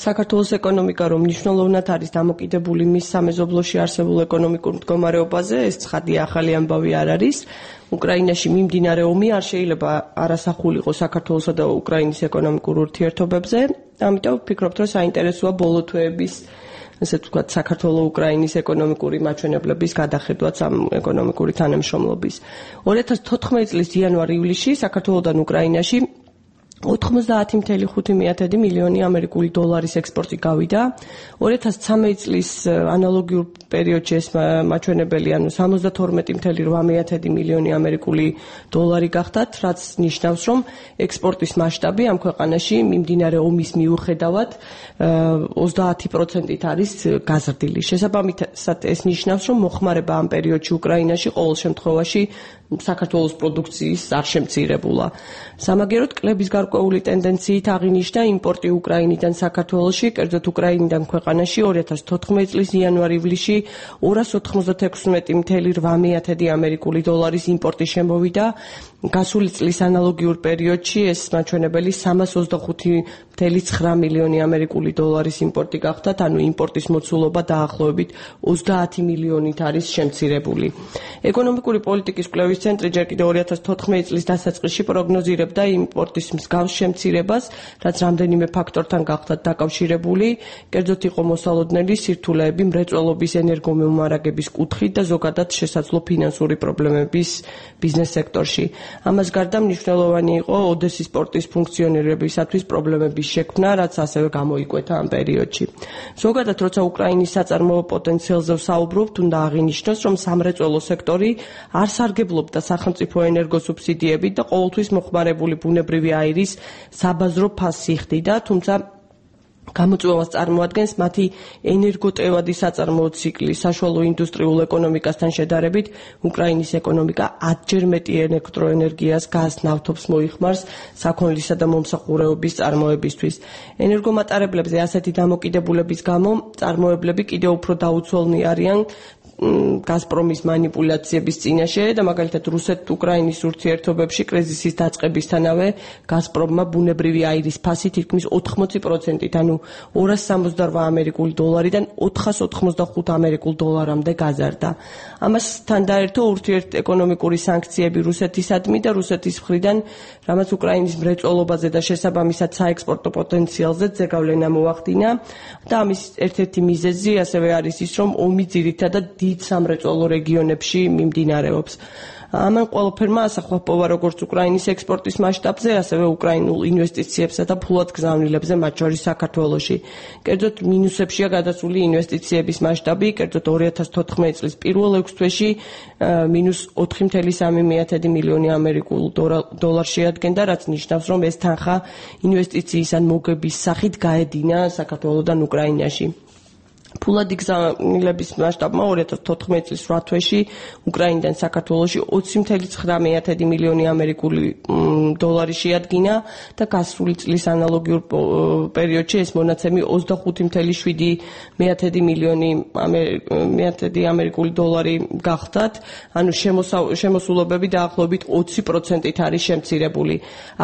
საქართველოს ეკონომიკა რომ მნიშვნელოვნად არის დამოკიდებული მის სამეზობლოში არსებულ ეკონომიკურ მდგომარეობაზე, ეს ცხადია, ახალი ამბავი არ არის. უკრაინაში მიმდინარე ომი არ შეიძლება არასახული იყოს საქართველოსა და უკრაინის ეკონომიკურ ურთიერთობებზე. ამიტომ ვფიქრობთ, რომ საინტერესოა ბოლო თვეების ესე ვთქვათ, საქართველოს-უკრაინის ეკონომიკური მაჩვენებლების გადახედვაც ამ ეკონომიკური თანამშრომლობის. 2014 წლის იანვარ-ივლისში საქართველოსთან უკრაინაში 90.5 მილიონი ამერიკული დოლარის ექსპორტი გავიდა. 2013 წლის ანალოგიურ პერიოდში ეს მაჩვენებელი, ანუ 72.8 მილიონი ამერიკული დოლარი გახდათ, რაც ნიშნავს, რომ ექსპორტის მასშტაბი ამ ქვეყანაში მიმდინარე ომის მიუხედავად 30%-ით არის გაზრდილი. შესაბამისად, ეს ნიშნავს, რომ მოხმარება ამ პერიოდში უკრაინაში ყოველ შემთხვევაში საქართველოს პროდუქციის არ შემცირებულა. სამაგეროდ კლების გარკვეული ტენდენციით აღინიშნა იმპორტი უკრაინიდან საქართველოში, კერძოდ უკრაინიდან ქვეყანაში 2014 წლის იანვარ-ივლისში 296.8 ამერიკული დოლარის იმპორტი შემოვიდა. გასული წლის ანალოგიურ პერიოდში ეს მაჩვენებელი 325.9 მილიონი ამერიკული დოლარის იმპორტი გახდათ, ანუ იმპორტის მოცულობა დაახლოებით 30 მილიონით არის შემცირებული. ეკონომიკური პოლიტიკის კვლევის ცენტრი ჯერ კიდევ 2014 წლის დასაწყისში პროგნოზირებდა იმპორტის მსგავს შემცირებას, რაც რამდენიმე ფაქტორთან გახდათ დაკავშირებული, კერძოდ იყო მოსალოდნელი სირთულეები მრეწველობის ენერგომომარაგების კუთხით და ზოგადად შესაძლო ფინანსური პრობლემების ბიზნეს სექტორში. ამას გარდა მნიშვნელოვანი იყო ოდესის პორტის ფუნქციონირებისათვის პრობლემების შექმნა, რაც ასევე გამოიკვეთა ამ პერიოდში. ზოგადად, როცა უკრაინის საწარმოო პოტენციალზე ვსაუბრობთ, უნდა აღინიშნოს, რომ სამრეწველო სექტორი არ სარგებლობდა სახელმწიფო ენერგოსუბსიდიებით და ყოველთვის მოხმარებული ბუნებრივი აირის საბაზრო ფასს იხდიდა, თუმცა გამოწვევას წარმოადგენს მათი ენერგოტევადი საწარმოო ციკლი. საშუალო ინდუსტრიულ ეკონომიკასთან შედარებით, უკრაინის ეკონომიკა 10-ჯერ მეტი ელექტროენერგიას, გაზს, ნავთობს მოიხმარს საქონლისა და მომსახურეობის წარმოებისთვის. ენერგომატარებლებზე ასეთი დამოკიდებულების გამო წარმოებლები კიდევ უფრო დაუცველნი არიან გაზპრომის манипуляციების წინაშე და მაგალითად რუსეთ-უკრაინის ურთიერთობებში კრიზისის დაწყებისთანავე გაზპრომმა ბუნებრივი აირის ფასი თითქმის 80%-ით, ანუ 268 ამერიკული დოლარიდან 485 ამერიკულ დოლარამდე გაზარდა. ამასთან დაერთო ურთიერთეკონომიკური სანქციები რუსეთისადმი და რუსეთის მხრიდან, რამაც უკრაინის მრეწველობაზე და შესაბამისად საექსპორტო პოტენციალზე ზეგავლენა მოახდინა და ამის ერთ-ერთი მიზეზი ასევე არის ის, რომ ომი ძირითადად დიდ სამრეწველო რეგიონებში მიმდინარეობს. ამან ყველაფერმა ასახვა პოვა როგორც უკრაინის ექსპორტის მასშტაბზე, ასევე უკრაინულ ინვესტიციებსა და ფულად გზავნილებზე, მათ შორის საქართველოში. კერძოდ მინუსებშია გადასული ინვესტიციების მასშტაბი, კერძოდ 2014 წლის პირველ 6 თვეში -4.3 მილიონი ამერიკულ დოლარს შეადგენდა, რაც ნიშნავს, რომ ეს თანხა ინვესტიციის ან მოგების სახით გაედინა საქართველოდან უკრაინაში. ფულადი გზავნილების მასშტაბმა 2014 წლის 8 თვეში უკრაინიდან საქართველოში 20.9 მილიონი ამერიკული დოლარი შეადგინა და გასული წლის ანალოგიურ პერიოდში ეს მონაცემი 25.7 მილიონი ამერიკული დოლარი გახდათ, ანუ შემოსულობები დაახლოებით 20%-ით არის შემცირებული.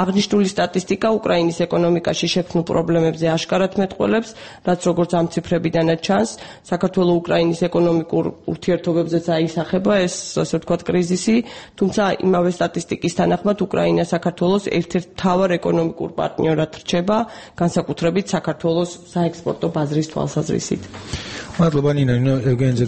აღნიშნული სტატისტიკა უკრაინის ეკონომიკაში შექმნილ პრობლემებზე აშკარად მეტყველებს, რაც როგორც ამ ციფრებიდანაც ჩანს, საქართველოს-უკრაინის ეკონომიკურ ურთიერთობებზეც აისახება ეს, ასე ვთქვათ, კრიზისი, თუმცა იმავე სტატისტიკის თანახმად უკრაინა საქართველოს ერთ-ერთ მთავარ ეკონომიკურ პარტნიორად რჩება, განსაკუთრებით საქართველოს საექსპორტო ბაზრის თვალსაზრისით. მადლობა ნინო,